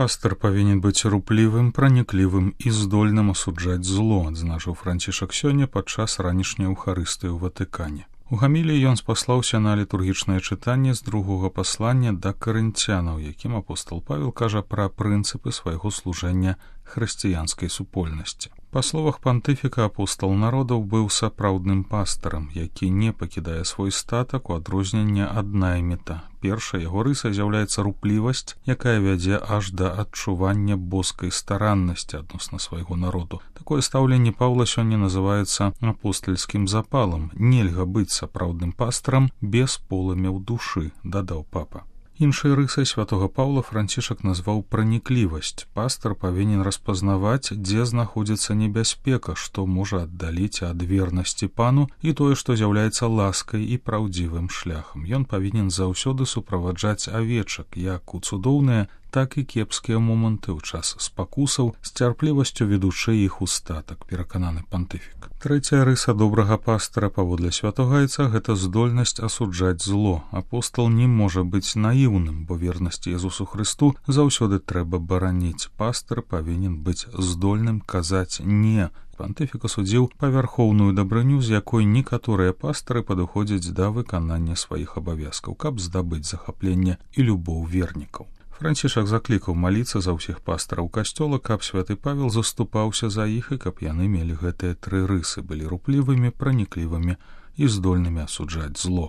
Пастор павінен быць руплівым, праніклівым і здольным асуджаць зло, адзначыў Францішак сёння падчас ранішняй эўхарыстыі ў Ватыкане. У гаміліі ён спаслаўся на літургічнае чытанне з другога паслання да карынцянаў, якім апостол Павел кажа пра прынцыпы свайго служэння хрысціянскай супольнасці. Па словах пантыфіка, апостол народаў быў сапраўдным пастарам, які не пакідае свой статак у адрозненне ад найміта. Першая яго рыса з'яўляецца руплівасць, якая вядзе аж да адчування боскай стараннасці адносна свайго народу. Такое стаўленне Паўла сёння называецца апостальскім запалам. Нельга быць сапраўдным пастарам без полымя ў душы, дадаў папа. Іншай рысай святога Паўла Францішак назваў праніклівасць. Пастар павінен распазнаваць, дзе знаходзіцца небяспека, што можа аддаліць ад вернасці пану і тое, што з'яўляецца ласкай і праўдзівым шляхам. Ён павінен заўсёды суправаджаць авечак, як у цудоўныя, так і кепскія моманты ў час спакусаў, з цярплівасцю ведучы іх у статак, перакананы пантыфік. Трэцяя рыса добрага пастара паводле святогайца – гэта здольнасць асуджаць зло. Апостол не можа быць наіўным, бо вернасць Езусу Хрысту заўсёды трэба бараніць. Пастар павінен быць здольным казаць «не». Пантыфік асудзіў павярхоўную дабрыню, з якой некаторыя пастары падыходзяць да выканання сваіх абавязкаў, каб здабыць захапленне і любоў вернікаў. Францішак заклікаў маліцца за ўсіх пастараў касцёла, каб святы Павел заступаўся за іх і каб яны мелі гэтыя тры рысы, былі руплівымі, праніклівымі і здольнымі асуджаць зло.